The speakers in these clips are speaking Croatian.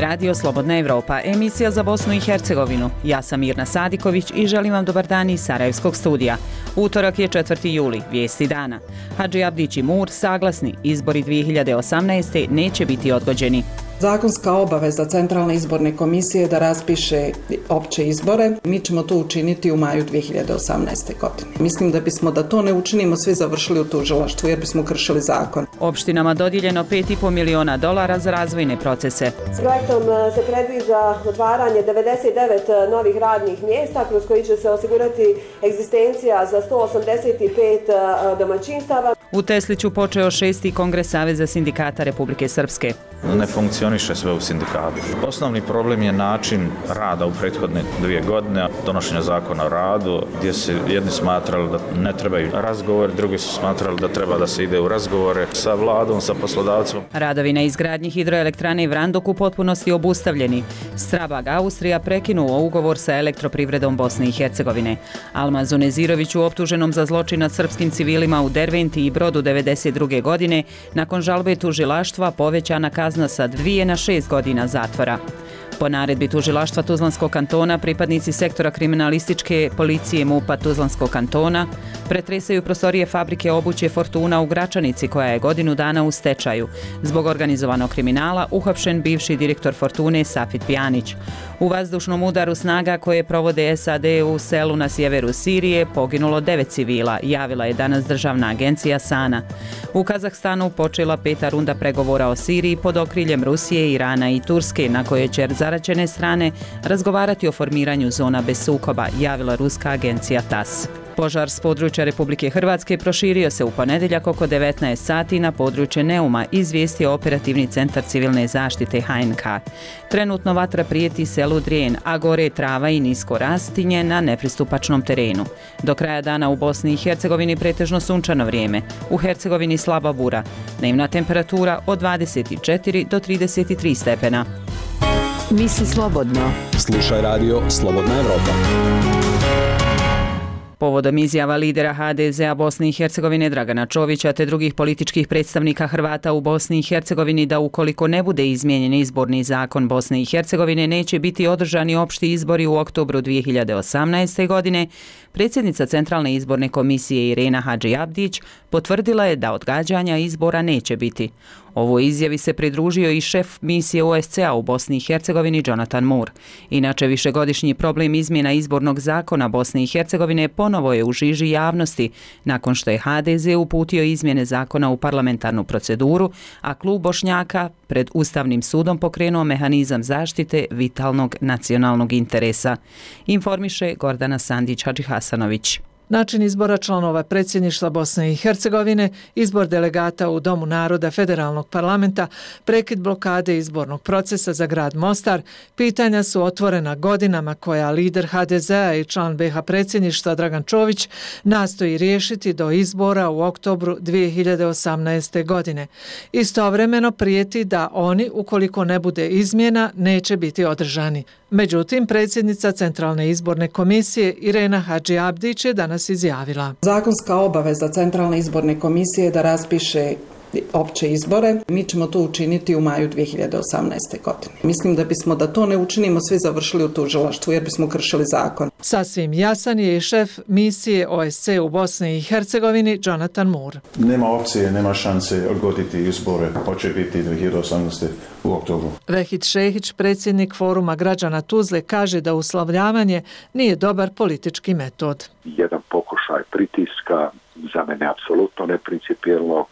je radio Slobodna Evropa, emisija za Bosnu i Hercegovinu. Ja sam Mirna Sadiković i želim vam dobar dan iz Sarajevskog studija. Utorak je 4. juli, vijesti dana. Hadži Abdić i Mur saglasni, izbori 2018. neće biti odgođeni. Zakonska obaveza Centralne izborne komisije da raspiše opće izbore, mi ćemo to učiniti u maju 2018. godine. Mislim da to ne učinimo, svi završili u tužilaštvu jer bismo kršili zakon. Opštinama dodijeljeno $5,5 miliona za razvojne procese. S projektom se predviđa otvaranje 99 novih radnih mjesta kroz koji će se osigurati egzistencija za 185 domaćinstava. U Tesliću počeo 6. kongres Saveza sindikata Republike Srpske. Ne funkcioniše sve u sindikatu. Osnovni problem je način rada u prethodne 2 godine, donošenja zakona o radu, gdje se jedni smatrali da ne trebaju razgovor, drugi su smatrali da treba da se ide u razgovore sa vladom, sa poslodavcom. Radovi na izgradnji hidroelektrane Vrandok u potpunosti obustavljeni. Strabag Austrija prekinuo ugovor sa Elektroprivredom Bosne i Hercegovine. Almazu Neziroviću, optuženom za zločin nad srpskim civilima u Derventi i Brodu 1992. godine, nakon žalbe tužilaštva povećana kazna sa 2 na 6 godina zatvora. Po naredbi tužilaštva Tuzlanskog kantona, pripadnici sektora kriminalističke policije MUP-a Tuzlanskog kantona pretresaju prostorije fabrike obuće Fortuna u Gračanici, koja je godinu dana u stečaju. Zbog organizovanog kriminala uhapšen bivši direktor Fortune Safit Pjanić. U vazdušnom udaru snaga koje provode SAD u selu na sjeveru Sirije poginulo 9 civila, javila je danas državna agencija SANA. U Kazahstanu počela 5. runda pregovora o Siriji pod okriljem Rusije, Irana i Turske, na kojoj će zaraćene strane razgovarati o formiranju zona bez sukoba, javila ruska agencija TASS. Požar s područja Republike Hrvatske proširio se u ponedjeljak oko 19 sati na područje Neuma, izvijestio operativni centar civilne zaštite HNK. Trenutno vatra prijeti selu Drijen, a gore trava i nisko rastinje na nepristupačnom terenu. Do kraja dana u Bosni i Hercegovini pretežno sunčano vrijeme. U Hercegovini slaba bura. Dnevna temperatura od 24 do 33 stepena. Misli slobodno. Slušaj radio Slobodna Evropa. Povodom izjava lidera HDZ-a Bosne i Hercegovine Dragana Čovića te drugih političkih predstavnika Hrvata u Bosni i Hercegovini da ukoliko ne bude izmijenjen izborni zakon Bosne i Hercegovine neće biti održani opšti izbori u oktobru 2018. godine, predsjednica Centralne izborne komisije Irena Hadži Abdić potvrdila je da odgađanja izbora neće biti. Ovoj izjavi se pridružio i šef misije OSCE-a u Bosni i Hercegovini Jonathan Moore. Inače, višegodišnji problem izmjena izbornog zakona Bosne i Hercegovine ponovo je u žiži javnosti nakon što je HDZ uputio izmjene zakona u parlamentarnu proceduru, a klub Bošnjaka pred Ustavnim sudom pokrenuo mehanizam zaštite vitalnog nacionalnog interesa. Informiše Gordana Sandić Hadžihasanović. Način izbora članova predsjedništva Bosne i Hercegovine, izbor delegata u Domu naroda Federalnog parlamenta, prekid blokade izbornog procesa za grad Mostar, pitanja su otvorena godinama koja lider HDZ-a i član BiH predsjedništva Dragan Čović nastoji riješiti do izbora u oktobru 2018. godine. Istovremeno prijeti da oni, ukoliko ne bude izmjena, neće biti održani. Međutim, predsjednica Centralne izborne komisije Irena Hadži Abdić je danas izjavila. Zakonska obaveza Centralne izborne komisije da raspiše opće izbore, mi ćemo to učiniti u maju 2018. godine. Mislim da to ne učinimo, svi završili u tužilaštvu jer bismo kršili zakon. Sasvim jasan je i šef misije OSCE u Bosni i Hercegovini Jonathan Moore. Nema opcije, nema šanse odgoditi izbore, hoće biti 2018. u oktobru. Vehid Šehić, predsjednik Foruma građana Tuzle, kaže da uslovljavanje nije dobar politički metod. Jedan pokušaj pritiska, za mene apsolutno neprincipijelnog,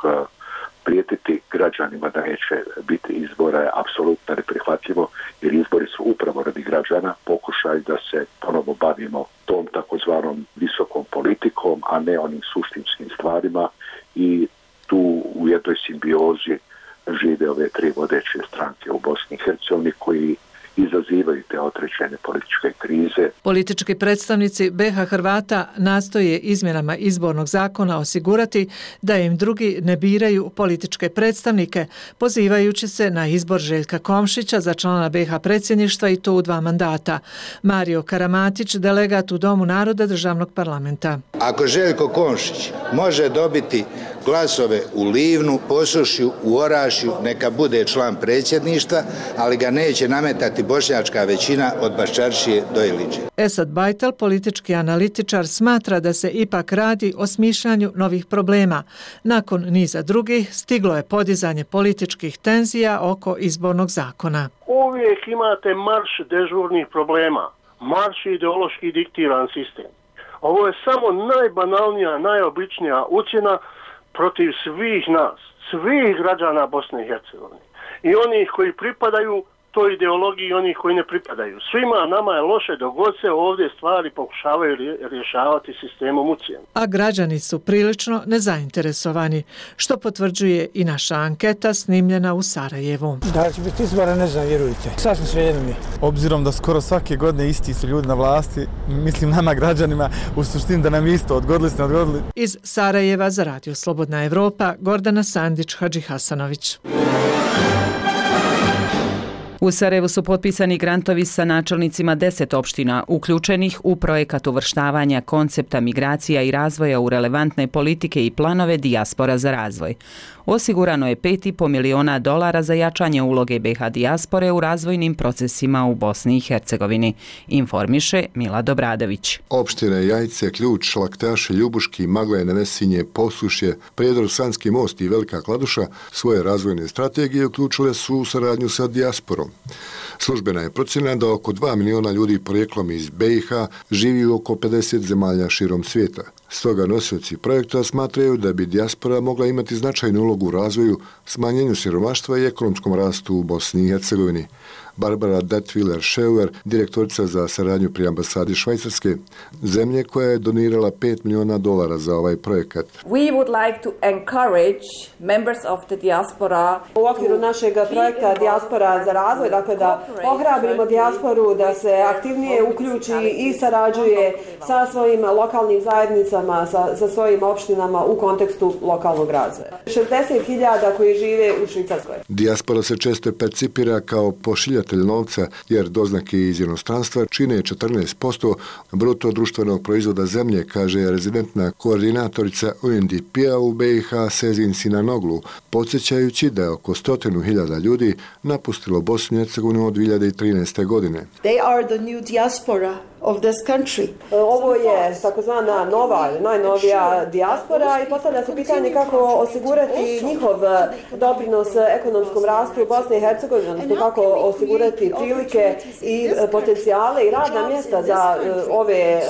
prijetiti građanima da neće biti izbora je apsolutno neprihvatljivo, jer izbori su upravo radi građana, pokušaj da se ponovo bavimo tom takozvanom visokom politikom, a ne onim suštinskim stvarima, i tu u jednoj simbiozi žive ove 3 vodeće stranke u Bosni i Hercegovini koji izazivaju te određene političke krize. Politički predstavnici BiH Hrvata nastoje izmjenama izbornog zakona osigurati da im drugi ne biraju političke predstavnike, pozivajući se na izbor Željka Komšića za člana BiH predsjedništva i to u 2 mandata. Mario Karamatić, delegat u Domu naroda Državnog parlamenta. Ako Željko Komšić može dobiti glasove u Livnu, Posušju, u Orašju, neka bude član predsjedništva, ali ga neće nametati bošnjačka većina od Baščaršije do Iliđe. Esad Bajtel, politički analitičar, smatra da se ipak radi o smišljanju novih problema. Nakon niza drugih stiglo je podizanje političkih tenzija oko izbornog zakona. Uvijek imate marš dežurnih problema, marš ideološki diktiran sistem. Ovo je samo najbanalnija, najobičnija ucjena protiv svih nas, svih građana Bosne i Hercegovine. I onih koji pripadaju toj ideologiji i onih koji ne pripadaju. Svima nama je loše dok god se ovdje stvari pokušavaju rješavati sistemom ucjena. A građani su prilično nezainteresovani, što potvrđuje i naša anketa snimljena u Sarajevu. Da će biti izbora, ne znam, vjerujte. Sasvim svejedno mi. Obzirom da skoro svake godine isti su ljudi na vlasti, mislim nama građanima, u suštini da nam isto odgodili. Iz Sarajeva za Radio Slobodna Evropa, Gordana Sandić, Hadži Hasanović. U Sarajevu su potpisani grantovi sa načelnicima 10 opština uključenih u projekat uvrštavanja koncepta migracija i razvoja u relevantne politike i planove dijaspora za razvoj. Osigurano je $5,5 miliona za jačanje uloge BiH dijaspore u razvojnim procesima u Bosni i Hercegovini, informiše Milad Obradović. Opštine Jajce, Ključ, Laktaši, Ljubuški, Maglaje, Nevesinje, Posušje, Prijedor, Sanski most i Velika Kladuša svoje razvojne strategije uključile su u saradnju sa dijasporom. Službena je procjena da oko 2 miliona ljudi porijeklom iz BiH živi u oko 50 zemalja širom svijeta. Stoga nosioci projekta smatraju da bi dijaspora mogla imati značajnu ulogu u razvoju, smanjenju siromaštva i ekonomskom rastu u Bosni i Hercegovini. Barbara Detwiler-Scheuer, direktorica za saradnju pri ambasadi Švajcarske, zemlje koja je donirala $5 miliona za ovaj projekat. We would like to encourage members of the diaspora u okviru našeg projekta Dijaspora za razvoj, dakle da ohrabrimo dijasporu da se aktivnije uključi i sarađuje sa svojim lokalnim zajednicama, sa svojim opštinama u kontekstu lokalnog razvoja. 60.000 koji žive u Švicarskoj. Dijaspora se često percipira kao pošiljatelj novca, jer doznake iz inostranstva čine 14% bruto društvenog proizvoda zemlje, kaže rezidentna koordinatorica UNDP-a u BiH Sezin Sinanoglu, podsjećajući da je oko 100.000 ljudi napustilo Bosnu i Hercegovinu od 2013. godine. They are the new diaspora of this country. Ovo je takozvana nova, najnovija dijaspora i postavlja se pitanje kako osigurati njihov doprinos ekonomskom rastu Bosne i Hercegovine, odnosno kako osigurati prilike i potencijale i radna mjesta za ove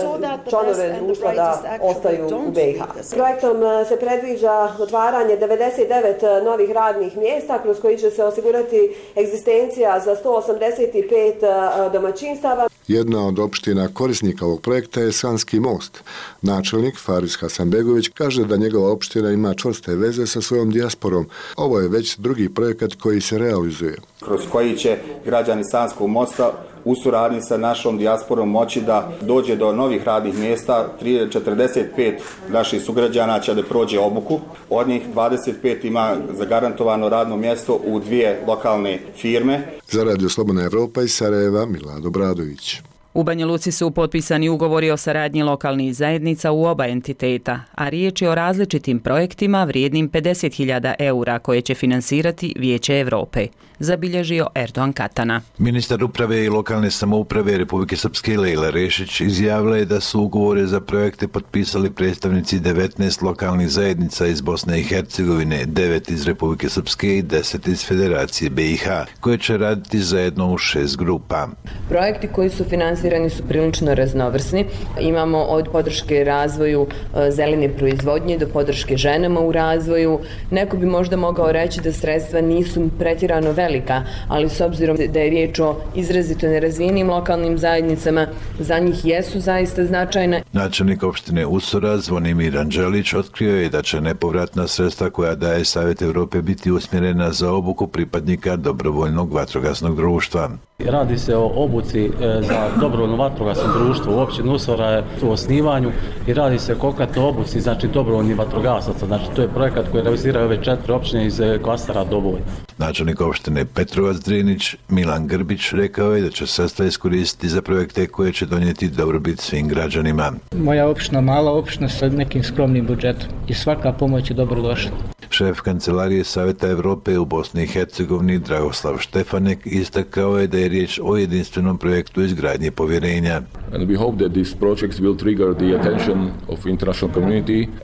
članove društva da ostaju u BiH. Projektom se predviđa otvaranje 99 novih radnih mjesta kroz koji će se osigurati egzistencija za 185 domaćinstava. Jedna od opština korisnika ovog projekta je Sanski most. Načelnik Faris Hasanbegović kaže da njegova opština ima čvrste veze sa svojom dijasporom. Ovo je već drugi projekat koji se realizuje. Kroz koji će građani Sanskog mosta u suradnji sa našom dijasporom moći da dođe do novih radnih mjesta. 45 naših sugrađana će da prođe obuku. Od njih 25 ima zagarantovano radno mjesto u 2 lokalne firme. Za Radio Slobodna Evropa iz Sarajeva, Milad Obradović. U Banja Luci su potpisani ugovori o saradnji lokalnih zajednica u oba entiteta, a riječ je o različitim projektima vrijednim 50.000 eura koje će finansirati Vijeće Evrope, zabilježio Erdogan Katana. Ministar uprave i lokalne samouprave Republike Srpske Lejla Rešić izjavila je da su ugovore za projekte potpisali predstavnici 19 lokalnih zajednica iz Bosne i Hercegovine, 9 iz Republike Srpske i 10 iz Federacije BiH, koje će raditi zajedno u 6 grupa. Projekti koji su finansirani su prilično raznovrsni. Imamo od podrške razvoju zelene proizvodnje do podrške ženama u razvoju. Neko bi možda mogao reći da sredstva nisu pretjerano velika, ali s obzirom da je riječ o izrazito nerazvijenim lokalnim zajednicama, za njih jesu zaista značajne. Načelnik opštine Usora Zvonimir Anđelić otkrio je da će nepovratna sredstva koja daje Savjet Evrope biti usmjerena za obuku pripadnika dobrovoljnog vatrogasnog društva. Radi se o obuci za dobrovoljno vatrogasno društvo u općini Usora je u osnivanju i radi se o konkretno obuci, znači dobrovoljnih vatrogasaca. Znači to je projekat koji realiziraju ove 4 općine iz klastera Doboj. Načelnik opštine Petrovac Drinić Milan Grbić rekao je da će sredstva iskoristiti za projekte koje će donijeti dobrobit svim građanima. Moja opština, mala opština sa nekim skromnim budžetom i svaka pomoć je dobrodošla. Šef Kancelarije Saveta Evrope u Bosni i Hercegovini Dragoslav Štefanek istakao je da je riječ o jedinstvenom projektu izgradnje povjerenja.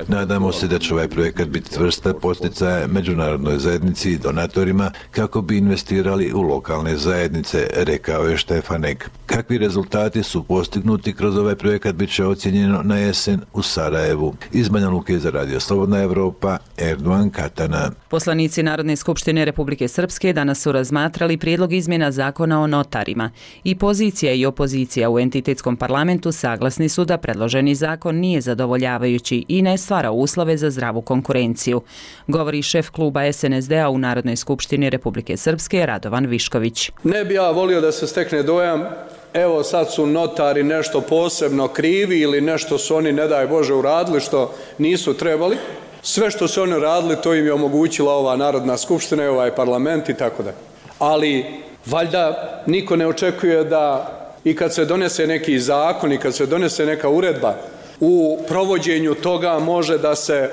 Nadamo se da će ovaj projekat biti vrsta posticaja međunarodnoj zajednici i donatorima kako bi investirali u lokalne zajednice, rekao je Štefanek. Kakvi rezultati su postignuti kroz ovaj projekat bit će ocjenjeno na jesen u Sarajevu. Iz Banja Luke za Radio Slobodna Evropa, Erdogan Katana. Poslanici Narodne skupštine Republike Srpske danas su razmatrali prijedlog izmjena zakona o notarima. I pozicija i opozicija u entitetskom parlamentu saglasni su da predloženi zakon nije zadovoljavajući i ne stvara uslove za zdravu konkurenciju, govori šef kluba SNSD-a u Narodnoj skupštini Republike Srpske Radovan Višković. Ne bi ja volio da se stekne dojam evo sad su notari nešto posebno krivi ili nešto su oni, ne daj Bože, uradili što nisu trebali. Sve što su oni radili, to im je omogućila ova Narodna skupština i ovaj parlament i tako da. Ali valjda niko ne očekuje da i kad se donese neki zakon i kad se donese neka uredba, u provođenju toga može da se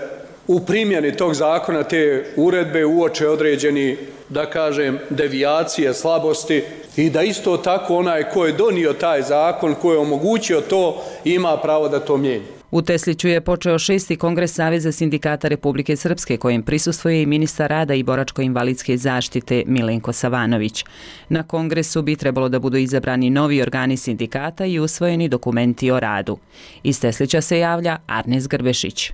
u primjeni tog zakona te uredbe uoče određeni, da kažem, devijacije, slabosti i da isto tako onaj ko je donio taj zakon, ko je omogućio to, ima pravo da to mijenja. U Tesliću je počeo 6. kongres Saveza sindikata Republike Srpske, kojem prisustvuje i ministar rada i boračko-invalidske zaštite Milenko Savanović. Na kongresu bi trebalo da budu izabrani novi organi sindikata i usvojeni dokumenti o radu. Iz Teslića se javlja Arnes Grbešić.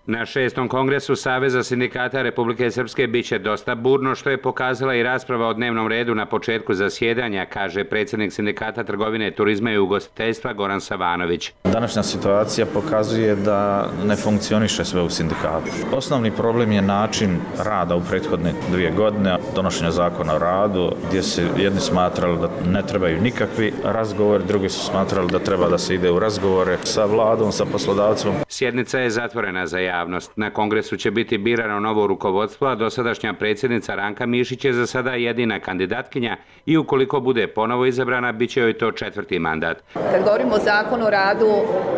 Na 6. kongresu Saveza sindikata Republike Srpske biće dosta burno, što je pokazala i rasprava o dnevnom redu na početku zasjedanja, kaže predsjednik sindikata trgovine, turizma i ugostiteljstva Goran Savanović. Današnja situacija pokazuje da ne funkcioniše sve u sindikatu. Osnovni problem je način rada u prethodne 2 godine, donošenja zakona o radu, gdje se jedni smatrali da ne trebaju nikakvi razgovori, drugi su smatrali da treba da se ide u razgovore sa vladom, sa poslodavcom. Sjednica je zatvorena za javnost. Na kongresu će biti birano novo rukovodstvo, a dosadašnja predsjednica Ranka Mišić je za sada jedina kandidatkinja i ukoliko bude ponovo izabrana, bit će joj to 4. mandat. Kad govorimo o zakonu o radu,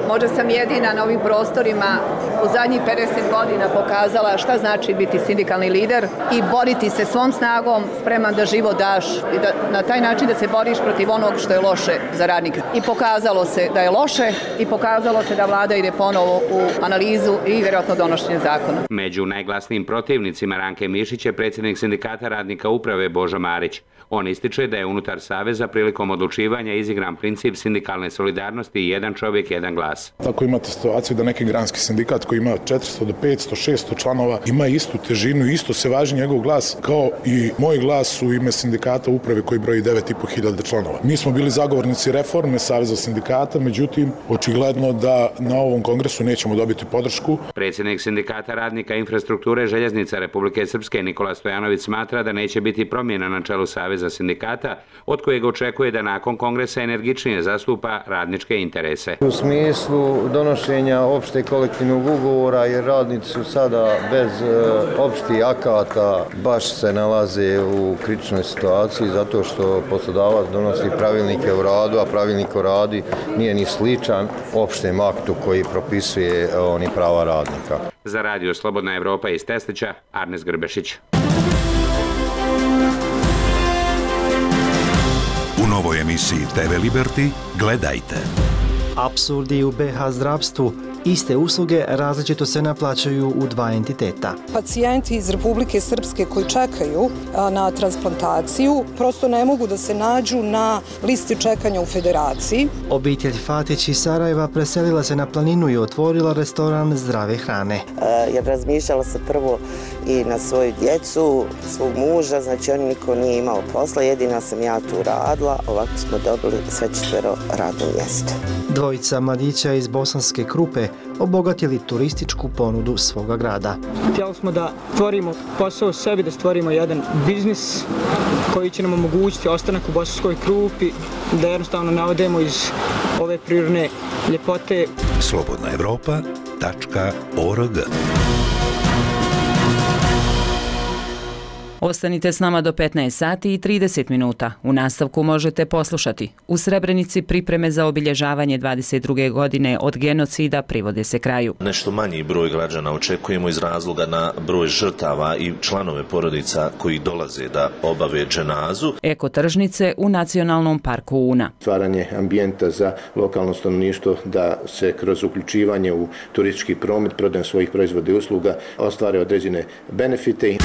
možda sam jedina na ovim prostorima u zadnjih 50 godina pokazala šta znači biti sindikalni lider i boriti se svom snagom, spreman da život daš i da na taj način da se boriš protiv onog što je loše za radnika. I pokazalo se da je loše i pokazalo se da vlada ide ponovo u analizu i vjerojatno donošenje zakona. Među najglasnijim protivnicima Ranke Mišić je predsjednik sindikata radnika uprave Božo Marić. On ističe da je unutar Saveza prilikom odlučivanja izigran princip sindikalne solidarnosti i jedan čovjek, jedan glas. Tako imate situaciju da neki granski sindikat koji ima 400 do 500, 600 članova ima istu težinu, isto se važi njegov glas kao i moj glas u ime sindikata uprave koji broji 9.500 članova. Mi smo bili zagovornici reforme Saveza sindikata, međutim, očigledno da na ovom kongresu nećemo dobiti podršku. Predsjednik sindikata radnika infrastrukture željeznica Republike Srpske Nikola Stojanović smatra da neće biti promjena na čelu Saveza sindikata, od kojeg očekuje da nakon kongresa energičnije zastupa radničke interese. U smislu donošenja opšte kolektivnog ugovora, jer radnici su sada bez opštih akata baš se nalaze u kritičnoj situaciji zato što poslodavac donosi pravilnike o radu, a pravilnik o radu nije ni sličan opštem aktu koji propisuje prava radnika. Za Radio Slobodna Evropa iz Teslića, Arnes Grbešić. U novoj emisiji TV Liberty gledajte. Apsurdi u BH zdravstvu. Iste usluge različito se naplaćuju u 2 entiteta. Pacijenti iz Republike Srpske koji čekaju na transplantaciju prosto ne mogu da se nađu na listi čekanja u Federaciji. Obitelj Fatić iz Sarajeva preselila se na planinu i otvorila restoran zdrave hrane. Jer razmišljala se prvo i na svoju djecu, svog muža, znači on niko nije imao posla, jedina sam ja tu radila, ovako smo dobili sve 4 radno mjesto. Dvojica mladića iz Bosanske Krupe obogatili turističku ponudu svoga grada. Htjeli smo da stvorimo posao sebi, da stvorimo jedan biznis koji će nam omogućiti ostanak u Bosanskoj Krupi, da jednostavno navodemo iz ove prirodne ljepote. slobodnaevropa.org. Ostanite s nama do 15 sati i 30 minuta. U nastavku možete poslušati. U Srebrenici pripreme za obilježavanje 22. godine od genocida privode se kraju. Nešto manji broj građana očekujemo iz razloga na broj žrtava i članove porodica koji dolaze da obave dženazu. Ekotržnice u Nacionalnom parku Una. Stvaranje ambijenta za lokalno stanovništvo da se kroz uključivanje u turistički promet, prodajom svojih proizvoda i usluga ostvare određene benefite.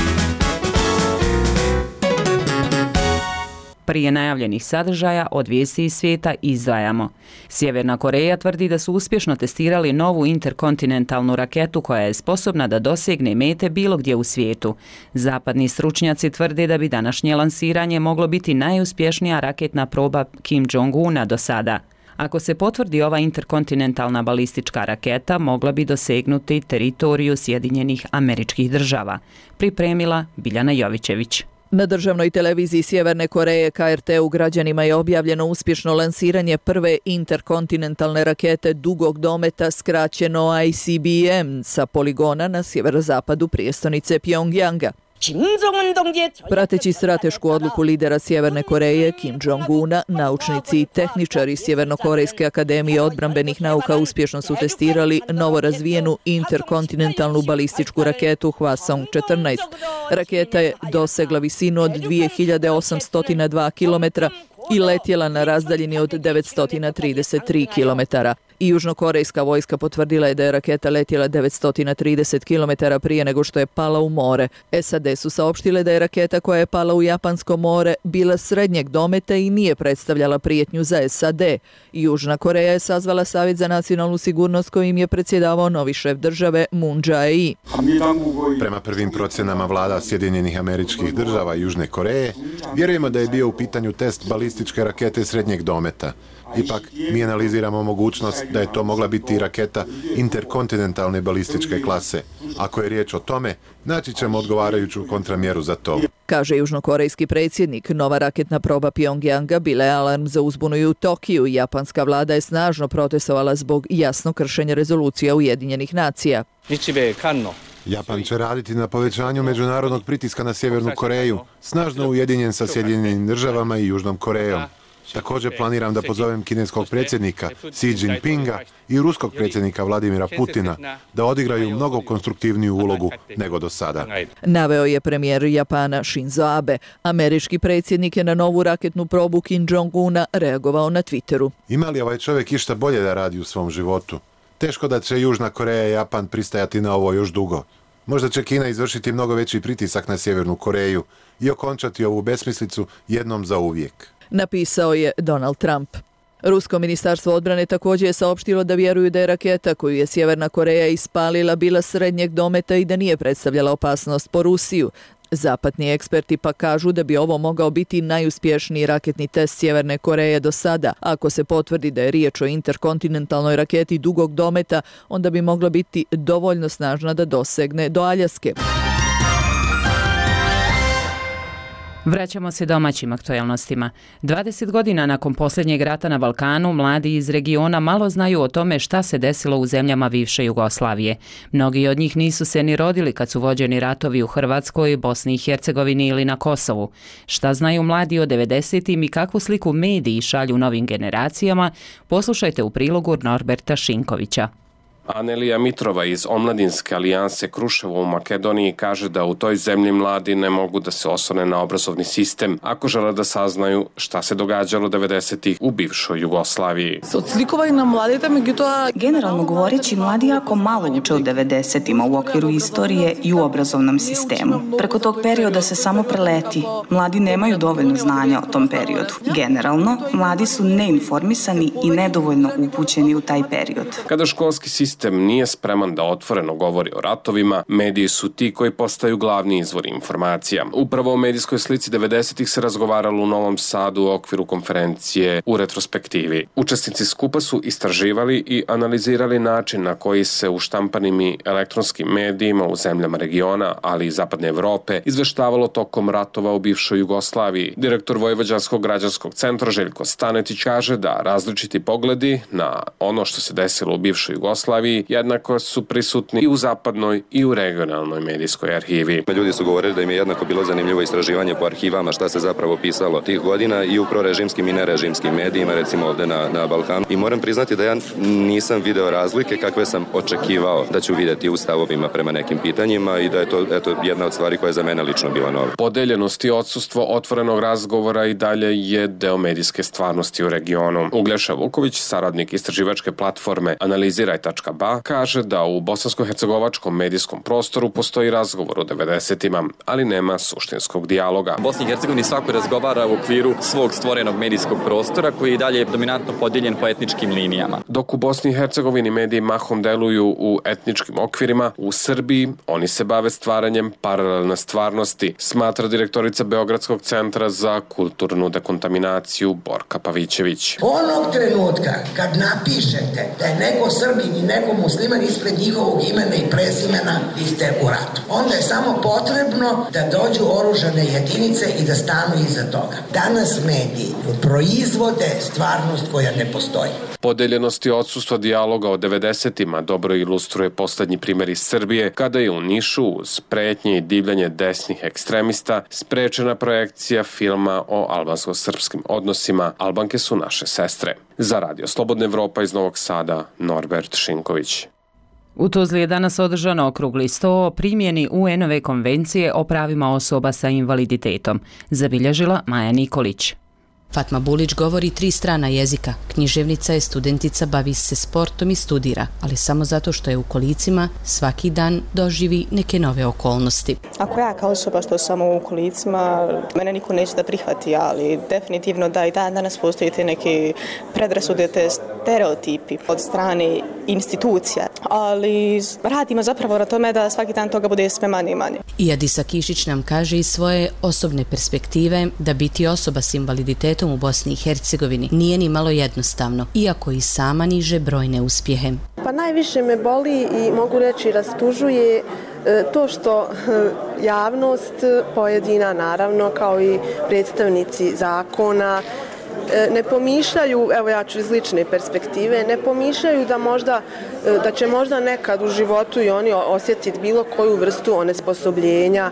Prije najavljenih sadržaja od vijesti iz svijeta izdvajamo. Sjeverna Koreja tvrdi da su uspješno testirali novu interkontinentalnu raketu koja je sposobna da dosegne mete bilo gdje u svijetu. Zapadni stručnjaci tvrde da bi današnje lansiranje moglo biti najuspješnija raketna proba Kim Jong-una do sada. Ako se potvrdi ova interkontinentalna balistička raketa, mogla bi dosegnuti teritoriju Sjedinjenih Američkih Država. Pripremila Biljana Jovićević. Na državnoj televiziji Sjeverne Koreje KRT-u građanima je objavljeno uspješno lansiranje prve interkontinentalne rakete dugog dometa, skraćeno ICBM, sa poligona na sjeverozapadu prijestolnice Pjongjanga. Prateći stratešku odluku lidera Sjeverne Koreje Kim Jong-una, naučnici i tehničari Sjevernokorejske akademije odbrambenih nauka uspješno su testirali novorazvijenu interkontinentalnu balističku raketu Hwasong-14. Raketa je dosegla visinu od 2802 km i letjela na razdaljini od 933 km. I južnokorejska vojska potvrdila je da je raketa letjela 930 km prije nego što je pala u more. SAD su saopštile da je raketa koja je pala u Japansko more bila srednjeg dometa i nije predstavljala prijetnju za SAD. Južna Koreja je sazvala Savjet za nacionalnu sigurnost kojim je predsjedavao novi šef države Moon Jae-in. Prema prvim procjenama vlada Sjedinjenih Američkih Država i Južne Koreje, vjerujemo da je bio u pitanju test balističke rakete srednjeg dometa. Ipak, mi analiziramo mogućnost da je to mogla biti raketa interkontinentalne balističke klase. Ako je riječ o tome, naći ćemo odgovarajuću kontramjeru za to. Kaže južnokorejski predsjednik, nova raketna proba Pjongjanga bila je alarm za uzbunu i u Tokiju. Japanska vlada je snažno protestovala zbog jasno kršenja rezolucija Ujedinjenih nacija. Japan će raditi na povećanju međunarodnog pritiska na Sjevernu Koreju, snažno ujedinjen sa Sjedinjenim Državama i Južnom Korejom. Također planiram da pozovem kineskog predsjednika Xi Jinpinga i ruskog predsjednika Vladimira Putina da odigraju mnogo konstruktivniju ulogu nego do sada. Naveo je premijer Japana Shinzo Abe. Američki predsjednik je na novu raketnu probu Kim Jong-una reagovao na Twitteru. Ima li ovaj čovjek išta bolje da radi u svom životu? Teško da će Južna Koreja i Japan pristajati na ovo još dugo. Možda će Kina izvršiti mnogo veći pritisak na Sjevernu Koreju i okončati ovu besmislicu jednom za uvijek. Napisao je Donald Trump. Rusko ministarstvo odbrane također je saopštilo da vjeruju da je raketa koju je Sjeverna Koreja ispalila bila srednjeg dometa i da nije predstavljala opasnost po Rusiju. Zapadni eksperti pa kažu da bi ovo mogao biti najuspješniji raketni test Sjeverne Koreje do sada. Ako se potvrdi da je riječ o interkontinentalnoj raketi dugog dometa, onda bi mogla biti dovoljno snažna da dosegne do Aljaske. Vraćamo se domaćim aktualnostima. 20 godina nakon posljednjeg rata na Balkanu, mladi iz regiona malo znaju o tome šta se desilo u zemljama bivše Jugoslavije. Mnogi od njih nisu se ni rodili kad su vođeni ratovi u Hrvatskoj, Bosni i Hercegovini ili na Kosovu. Šta znaju mladi o 90-im i kakvu sliku mediji šalju novim generacijama, poslušajte u prilogu Norberta Šinkovića. Anelija Mitrova iz Omladinske alijanse Kruševo u Makedoniji kaže da u toj zemlji mladi ne mogu da se oslone na obrazovni sistem ako žele da saznaju šta se događalo 90-ih u bivšoj Jugoslaviji. Generalno govoreći, mladi jako malo uče o 90-ima u okviru istorije i u obrazovnom sistemu. Preko tog perioda se samo preleti. Mladi nemaju dovoljno znanja o tom periodu. Generalno, mladi su neinformisani i nedovoljno upućeni u taj period. Kada školski sistem sistem nije spreman da otvoreno govori o ratovima, mediji su ti koji postaju glavni izvor informacija. Upravo o medijskoj slici 90-ih se razgovaralo u Novom Sadu u okviru konferencije u retrospektivi. Učesnici skupa su istraživali i analizirali način na koji se u štampanim i elektronskim medijima u zemljama regiona, ali i Zapadne Evrope, izveštavalo tokom ratova u bivšoj Jugoslaviji. Direktor Vojvođanskog građanskog centra Željko Stanetić kaže da različiti pogledi na ono što se desilo u bivšoj Jugoslaviji jednako su prisutni i u zapadnoj i u regionalnoj medijskoj arhivi. Ljudi su govorili da im je jednako bilo zanimljivo istraživanje po arhivama šta se zapravo pisalo tih godina i u prorežimskim i nerežimskim medijima, recimo ovde na Balkanu. I moram priznati da ja nisam video razlike kakve sam očekivao da ću vidjeti u stavovima prema nekim pitanjima i da je to jedna od stvari koja je za mene lično bila nova. Podeljenost i odsustvo otvorenog razgovora i dalje je deo medijske stvarnosti u regionu. Uglješa Vuković, saradnik istraživačke platforme Analiziraj.ba, kaže da u bosansko-hercegovačkom medijskom prostoru postoji razgovor o 90-ima, ali nema suštinskog dijaloga. Bosni i Hercegovini svako razgovara u okviru svog stvorenog medijskog prostora koji je dalje dominantno podijeljen po etničkim linijama. Dok u Bosni i Hercegovini mediji mahom deluju u etničkim okvirima, u Srbiji oni se bave stvaranjem paralelne stvarnosti, smatra direktorica Beogradskog centra za kulturnu dekontaminaciju Borka Pavićević. Onog trenutka kad napišete da je neko Srbin i neko musliman ispred njihovog imena i prezimena, vi ste u ratu. Onda je samo potrebno da dođu oružane jedinice i da stanu iza toga. Danas mediji proizvode stvarnost koja ne postoji. Podeljenost i odsustvo dijaloga o 90-ima dobro ilustruje poslednji primjer iz Srbije, kada je u Nišu uz pretnje i divljanje desnih ekstremista sprečena projekcija filma o albansko-srpskim odnosima Albanke su naše sestre. Za Radio Slobodna Evropa iz Novog Sada, Norbert Šinković. U Tuzli je danas održan okrugli sto o primjeni UN-ove konvencije o pravima osoba sa invaliditetom, zabilježila Maja Nikolić. Fatma Bulić govori 3 strana jezika, književnica je, studentica, bavi se sportom i studira, ali samo zato što je u kolicima svaki dan doživi neke nove okolnosti. Ako ja kao osoba što sam u kolicima, mene niko neće da prihvati, ali definitivno da i danas postoji te neke predrasude, te stereotipi od strane institucija, ali radimo zapravo na tome da svaki dan toga bude sve manje i manje. I Adisa Kišić nam kaže iz svoje osobne perspektive da biti osoba s invaliditetom u Bosni i Hercegovini nije ni malo jednostavno, iako i sama niže brojne uspjehe. Pa najviše me boli i mogu reći rastužuje to što javnost pojedina, naravno, kao i predstavnici zakona, ne pomišljaju, evo ja ću iz lične perspektive, ne pomišljaju da će možda nekad u životu i oni osjetiti bilo koju vrstu onesposobljenja,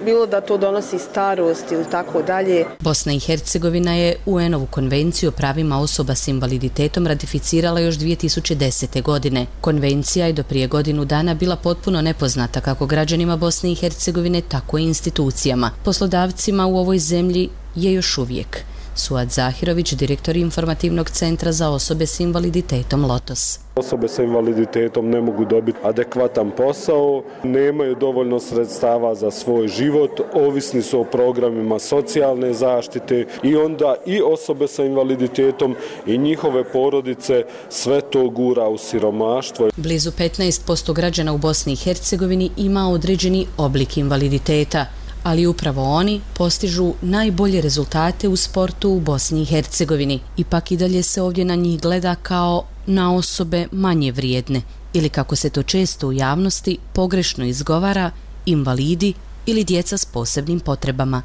bilo da to donosi starost ili tako dalje. Bosna i Hercegovina je UN-ovu konvenciju o pravima osoba s invaliditetom ratificirala još 2010. godine. Konvencija je do prije godinu dana bila potpuno nepoznata kako građanima Bosne i Hercegovine, tako i institucijama. Poslodavcima u ovoj zemlji je još uvijek. Suad Zahirović, direktor informativnog centra za osobe s invaliditetom Lotos. Osobe sa invaliditetom ne mogu dobiti adekvatan posao, nemaju dovoljno sredstava za svoj život, ovisni su o programima socijalne zaštite i onda i osobe sa invaliditetom i njihove porodice sve to gura u siromaštvo. Blizu 15% građana u Bosni i Hercegovini ima određeni oblik invaliditeta, ali upravo oni postižu najbolje rezultate u sportu u Bosni i Hercegovini. Ipak i dalje se ovdje na njih gleda kao na osobe manje vrijedne ili, kako se to često u javnosti pogrešno izgovara, invalidi ili djeca s posebnim potrebama.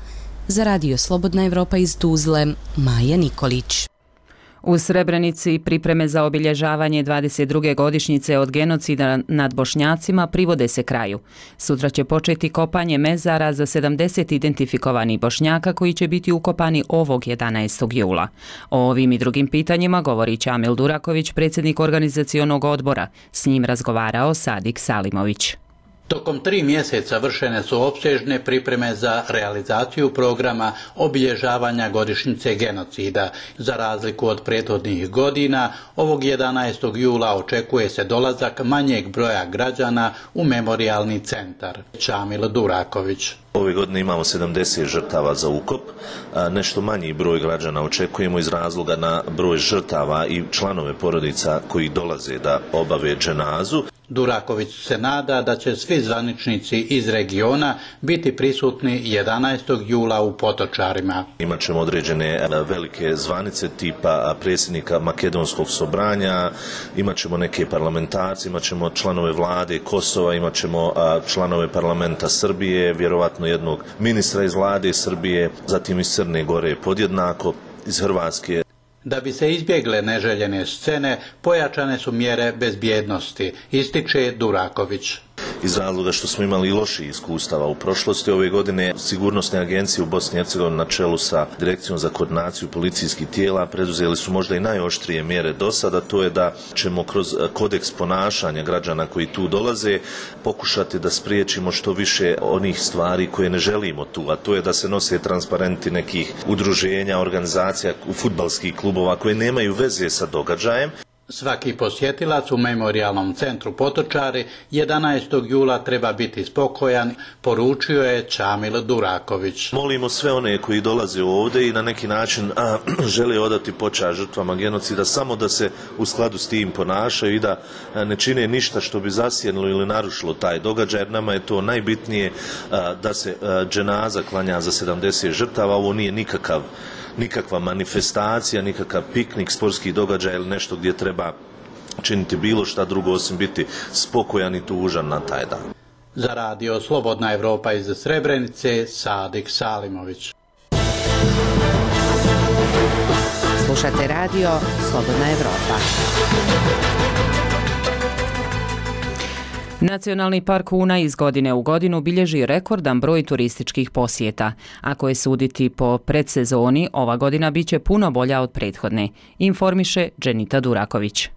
Za Radio Slobodna Evropa iz Tuzle, Maja Nikolić. U Srebrenici pripreme za obilježavanje 22. godišnjice od genocida nad Bošnjacima privode se kraju. Sutra će početi kopanje mezara za 70 identifikovanih Bošnjaka koji će biti ukopani ovog 11. jula. O ovim i drugim pitanjima govori Čamil Duraković, predsjednik organizacionog odbora. S njim razgovarao Sadik Salimović. Tokom 3 mjeseca vršene su opsežne pripreme za realizaciju programa obilježavanja godišnjice genocida. Za razliku od prethodnih godina, ovog 11. jula očekuje se dolazak manjeg broja građana u memorijalni centar. Čamil Duraković. Ove godine imamo 70 žrtava za ukop, nešto manji broj građana očekujemo iz razloga na broj žrtava i članove porodica koji dolaze da obave dženazu. Duraković se nada da će svi zvaničnici iz regiona biti prisutni 11. jula u Potočarima. Imaćemo određene velike zvanice tipa predsjednika Makedonskog sobranja, imaćemo neke parlamentarce, imaćemo članove vlade Kosova, imaćemo članove parlamenta Srbije, vjerovatno jednog ministra iz vlade Srbije, zatim iz Crne Gore podjednako, iz Hrvatske. Da bi se izbjegle neželjene scene, pojačane su mjere bezbjednosti, ističe Duraković. Iz razloga što smo imali loših iskustava u prošlosti, ove godine sigurnosne agencije u Bosni i Hercegovini na čelu sa Direkcijom za koordinaciju policijskih tijela preduzeli su možda i najoštrije mjere do sada, to je da ćemo kroz kodeks ponašanja građana koji tu dolaze pokušati da spriječimo što više onih stvari koje ne želimo tu, a to je da se nose transparenti nekih udruženja, organizacija, fudbalskih klubova koje nemaju veze sa događajem. Svaki posjetilac u Memorijalnom centru Potočari 11. jula treba biti spokojan, poručio je Čamil Duraković. Molimo sve one koji dolaze ovdje i na neki način žele odati počast žrtvama genocida, samo da se u skladu s tim ponašaju i da ne čine ništa što bi zasjenilo ili narušilo taj događaj, jer nama je to najbitnije da se dženaza klanja za 70 žrtava. Ovo nije nikakva manifestacija, nikakav piknik, sportski događaj ili nešto gdje treba činiti bilo šta drugo osim biti spokojan i tužan na taj dan. Za radio Slobodna Evropa iz Srebrenice, Sadik Salimović. Slušate radio Slobodna Evropa. Nacionalni park Una iz godine u godinu bilježi rekordan broj turističkih posjeta. Ako je suditi po predsezoni, ova godina biće puno bolja od prethodne, informiše Dženita Duraković.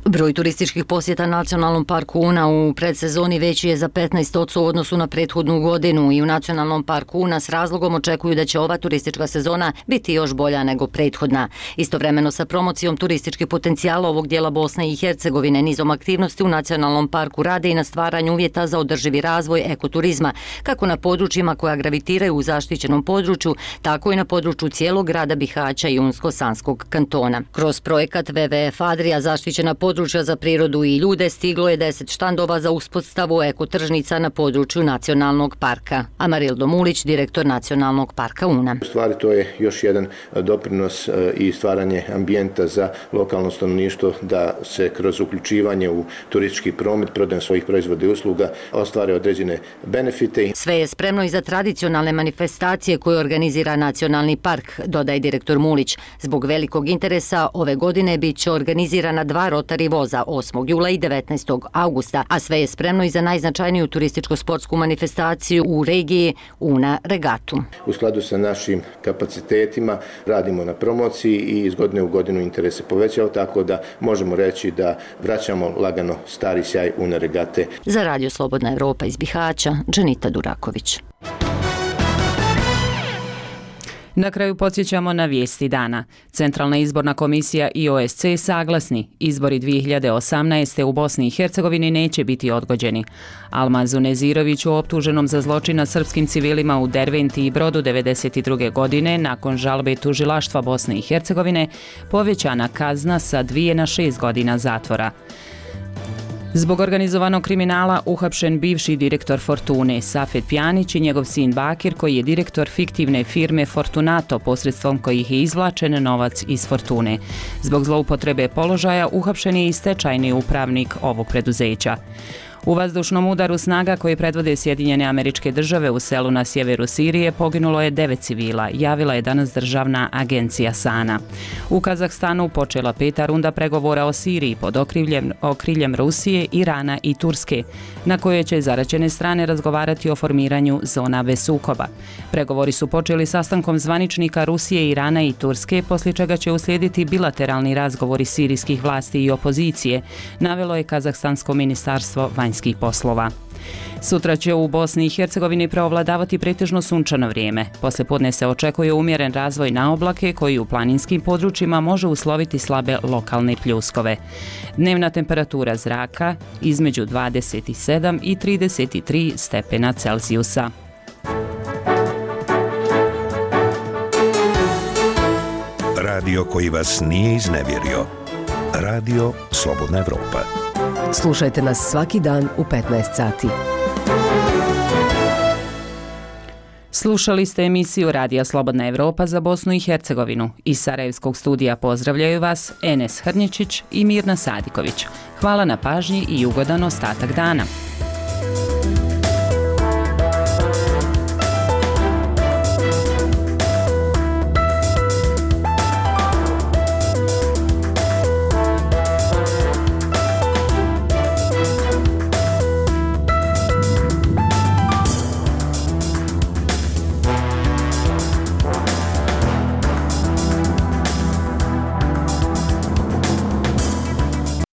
Broj turističkih posjeta Nacionalnom parku Una u predsezoni veći je za 15% u odnosu na prethodnu godinu i u Nacionalnom parku Una s razlogom očekuju da će ova turistička sezona biti još bolja nego prethodna. Istovremeno sa promocijom turističkih potencijala ovog dijela Bosne i Hercegovine nizom aktivnosti u Nacionalnom parku rade i na stvaranju uvjeta za održivi razvoj ekoturizma, kako na područjima koja gravitiraju u zaštićenom području, tako i na području cijelog grada Bihaća i Unsko-Sanskog kantona. Kroz projekat WWF Adria zaštićena područja za prirodu i ljude stiglo je 10 štandova za uspostavu ekotržnica na području Nacionalnog parka. Amarildo Mulić, direktor Nacionalnog parka Una. U stvari to je još jedan doprinos i stvaranje ambijenta za lokalno stanovništvo da se kroz uključivanje u turistički promet, prodajom svojih proizvoda i usluga ostvare određene benefite. Sve je spremno i za tradicionalne manifestacije koje organizira Nacionalni park, dodaje direktor Mulić. Zbog velikog interesa ove godine bit će organizirana 2 rotari voza 8. jula i 19. augusta, a sve je spremno i za najznačajniju turističko-sportsku manifestaciju u regiji Una regatu. U skladu sa našim kapacitetima radimo na promociji i iz godine u godinu interes se povećao, tako da možemo reći da vraćamo lagano stari sjaj Una regate. Za radio Slobodna Evropa iz Bihaća, Dženita Duraković. Na kraju podsjećamo na vijesti dana. Centralna izborna komisija i OSC saglasni. Izbori 2018. u Bosni i Hercegovini neće biti odgođeni. Almazu Neziroviću, optuženom za zločin nad srpskim civilima u Derventi i Brodu 1992. godine, nakon žalbe tužilaštva Bosne i Hercegovine, povećana kazna sa 2 na 6 godina zatvora. Zbog organizovanog kriminala uhapšen bivši direktor Fortune Safet Pjanić i njegov sin Bakir, koji je direktor fiktivne firme Fortunato, posredstvom kojih je izvlačen novac iz Fortune. Zbog zloupotrebe položaja uhapšen je i stečajni upravnik ovog preduzeća. U vazdušnom udaru snaga koji predvode Sjedinjene Američke Države u selu na sjeveru Sirije poginulo je 9 civila, javila je danas državna agencija SANA. U Kazahstanu počela 5. runda pregovora o Siriji pod okriljem Rusije, Irana i Turske, na kojoj će zaraćene strane razgovarati o formiranju zona bez sukoba. Pregovori su počeli sastankom zvaničnika Rusije, Irana i Turske, poslije čega će uslijediti bilateralni razgovori sirijskih vlasti i opozicije, navelo je Kazahstansko ministarstvo vanjskih poslova. Sutra će u Bosni i Hercegovini preovladavati pretežno sunčano vrijeme. Poslijepodne se očekuje umjeren razvoj na oblake koji u planinskim područjima može usloviti slabe lokalne pljuskove. Dnevna temperatura zraka između 27 i 33 stepena Celzijusa. Radio koji vas nije iznevjerio. Radio Slobodna Evropa. Slušajte nas svaki dan u 15 sati. Slušali ste emisiju Radija Slobodna Evropa za Bosnu i Hercegovinu. Iz Sarajevskog studija pozdravljaju vas Enes Hrnječić i Mirna Sadiković. Hvala na pažnji i ugodan ostatak dana.